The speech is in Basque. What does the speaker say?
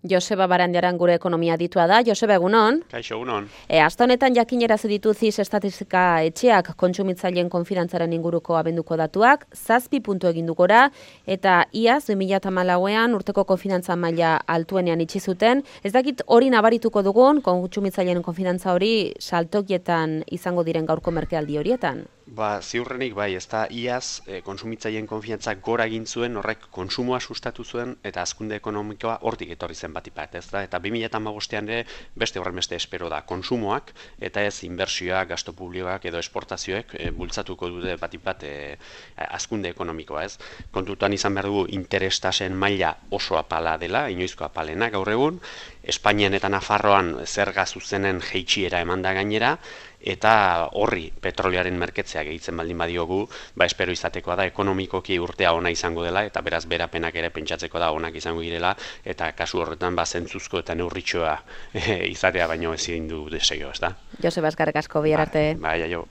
Joseba Barandiaran gure ekonomia ditua da. Joseba, egunon? Kaixo, egunon. Aste honetan jakinerazi ditu CIS estatistika etxeak kontsumitzaileen konfidantzaren inguruko abenduko datuak, 7 puntu egin du gora, eta iaz 2014ean urteko konfidantza maila altuenean itxi zuten. Ez dakit hori nabarituko dugun, kontsumitzaileen konfidantza hori saltokietan izango diren gaurko merkealdi horietan? Ziurrenik bai, ez da iaz kontsumitzaileen konfiantza gora egin zuen, horrek konsumoa sustatu zuen eta hazkunde ekonomikoa hortik etorri zen batik bat, ez da? Eta 2015ean ere beste horrenbeste espero da konsumoak eta ez inbertsioak, gasto publikoak edo esportazioek bultzatuko dute batik bat hazkunde ekonomikoa, ez? Kontutan izan behar dugu interestasen maila oso apala dela, inoizko apalena gaur egun, Espainian eta Nafarroan zerga zuzenen jeitsiera eman da gainera, eta horri petrolioaren merketzea gehitzen baldin badiogu, espero izatekoa da ekonomikoki urtea ona izango dela, eta beraz berapenak ere pentsatzeko da onak izango direla, eta kasu horretan zentzuzko eta neurritxoa izatea baino ezin du desegio, ez da? Joseba, eskerrik asko, bihar arte. Bai, aio.